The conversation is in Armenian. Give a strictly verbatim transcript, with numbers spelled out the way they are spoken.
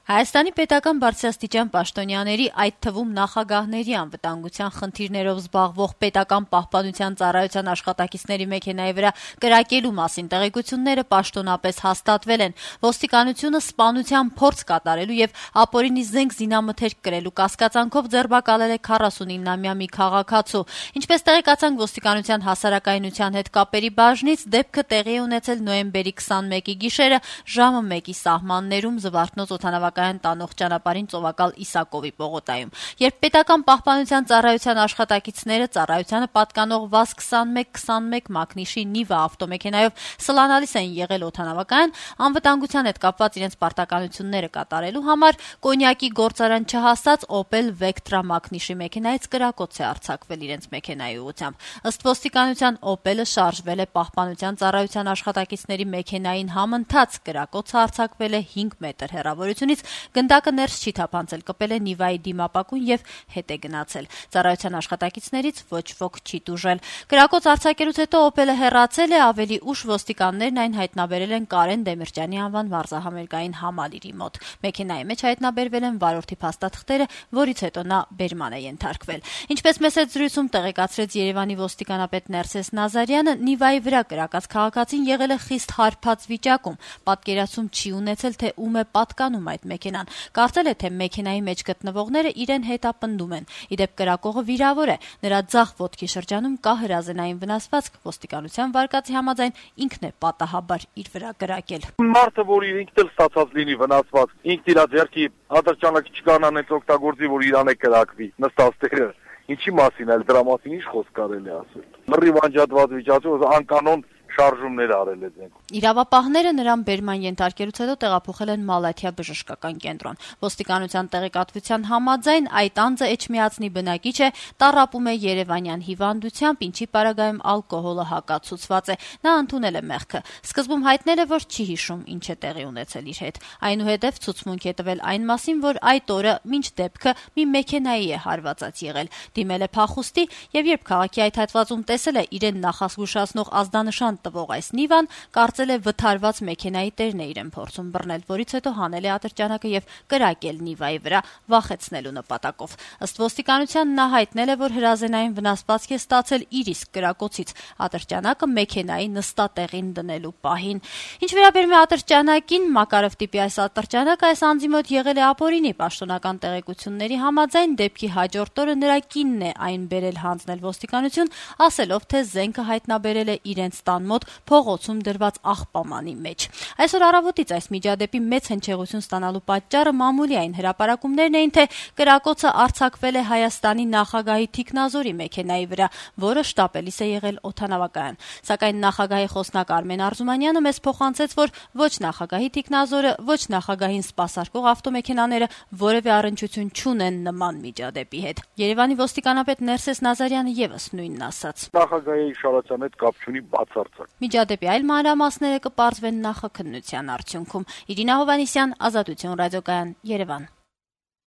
Հայաստանի պետական բարձրաստիճան պաշտոնյաների, այդ թվում նախագահների անվտանգության խնդիրներով զբաղվող պետական պահպանության ծառայության աշխատակիցների մեքենայի վրա կրակելու մասին տեղեկությունները պաշտոնապես հաստատվել են։ Ոստիկանությունը սպանության փորձ կատարելու եւ ապօրինի զենք զինամթերք կրելու կասկածանքով ձերբակալել է քառասունինամյա մի քաղաքացու։ Ինչպես տեղեկացանք ոստիկանության հասարակայնության հետ կապերի բաժնից, դեպքը տեղի է ունեցել նոյեմբերի քսանմեկի գիշերը ժամը մեկի սահմաններում Զվարթնոց օդանավակայան տանող ճանապարհին Ծովակալ Իսակովի պողոտայում։ Երբ պետական պահպանության ծառայության աշխատակիցները ծառայությանը պատկանող վազ քսանմեկ քսանմեկ մակնիշի Նիվա ավտոմեքենայով սլանալիս են եղել օդանավակայան, անվտանգության հետ կապված իրենց պարտականությունները կատարելու համար կոնյակի գործարան չհասած Opel Vectra մակնիշի մեքենայից կրակոց է արձակվել իրենց մեքենայի ուղղությամբ։ Ըստ ոստիկանության Opel-ը շարժվել է պահպանության ծառայության աշխատակիցների մեքենային համընթաց, կրակոցը արձակվել է հինգ մետր հեռավորությունից, գնդակը ներս չի թափանցել, կպել է Նիվայի դիմապակուն եւ հետ է գնացել։ Ծառայության աշխատակիցներից ոչ ոք չի տուժել։ Կրակոց արձակելուց հետո Opel-ը հեռացել է, ավելի ուշ ոստիկաններն այն հայտնաբերել են Կարեն Դեմիրճյանի անվան վարզահամերգային համալիրի մոտ։ Մեքենայի մեջ հայտնաբերվել են վարորդի փաստաթղթերը, որից հետո նա բերման է ենթարկվել։ Ինչպես մեծ զրույցում տեղեկացրեց Երևանի ոստիկանապետ Ներսես Նազարյանը, Նիվայի վրա կրակած քաղաքացին եղել է խիստ հարբած վիճակում, պատկերացում չի ունեցել, թե ում է պատկանում այդ մեքենան։ Կարծել է, թե մեքենայի մեջ գտնվողները իրեն հետապնդում են։ Իդեպ կրակողը վիրավոր է, նրա ձախ ոտքի շրջանում կա հրազենային վնասվածք, ոստիկանության վարկածի համաձայն ինքն է պատահաբար իր վրա կրակել։ Մարդը, որ ինքն էլ ստացած լինի վնասված, ինքն իր ձեռքի ատրճանակը չկանանեց օգտագործի, որ իրան է կրակվի, նստած տեղը։ Ինչի մասին էլ դրա մասին ինչ խոսք կարելի ասել։ Լրիվ անջատված վիճակում անկանոն շարժումներ արել է դեն։ Իրավապահները նրան բերման ենթարկելուց հետո տեղափոխել են Մալաթիա բժշկական կենտրոն։ Ոստիկանության տեղեկատվության համաձայն այդ անձը էջմիածնի բնակիչ է, տառապում է երևանյան հիվանդությամբ, ինչի պարագայում ալկոհոլը հակացուցված է։ Նա ընդունել է մեղքը։ Սկզբում հայտնել է, որ չի հիշում ինչ է տեղի ունեցել իր հետ։ Այնուհետև ցուցմունք է տվել այն մասին, որ այդ օրը մինչ դեպքը մի մեքենայի է հարվածած եղել։ Դիմել է փախուստի եւ երբ քաղաքի այդ հատվածում տեսել է իրեն նախազգուշացնող ազդանշան տվող այս Նիվան, կարծել է վթարված մեքենայի տերն է իրեն փորձում բռնել, որից հետո հանել է ատրճանակը եւ կրակել Նիվայի վրա վախեցնելու նպատակով։ Ըստ ոստիկանության նա հայտնել է, որ հրազենային վնասվածք է ստացել իր իսկ կրակոցից, ատրճանակը մեքենայի նստատեղին դնելու պահին։ Ինչ վերաբերում է ատրճանակին, Մակարով տիպի այս ատրճանակը այս անձի մոտ եղել է ապօրինի, պաշտոնական տեղեկությունների համաձայն դեպքի հաջորդ օրը նրա կինն է այն բերել հանձնել ոստիկանություն, ասելով, թե զենքը հայտնաբերել է իրենց տան մոտ փողոցում դրված աղբամանի մեջ։ Այսօր առավոտից այս միջադեպի մեծ հնչեղություն ստանալու պատճառը մամուլի այն հրապարակումներն էին, թե կրակոցը արձակվել է Հայաստանի նախագահի թիկնազորի մեքենայի վրա, որը շտապելիս է եղել օդանավակայան։ Սակայն նախագահի խոսնակ Արմեն Արզումանյանը մեզ փոխանցեց, որ ոչ նախագահի թիկնազորը, ոչ նախագահին սպասարկող ավտոմեքենաները որևէ առնչություն չունեն նման միջադեպի հետ։ Երևանի ոստիկանապետ Ներսես Նազարյանը եւս նույնն ասաց։ Նախագահի շարացան հետ կապ չունի բացարձակ։ Միջադեպի այլ մանրամասները կպարզվեն նախաքննության արդյունքում։ Իրինա Հովհաննիսյան, Ազատություն ռադիոկայան, Երևան։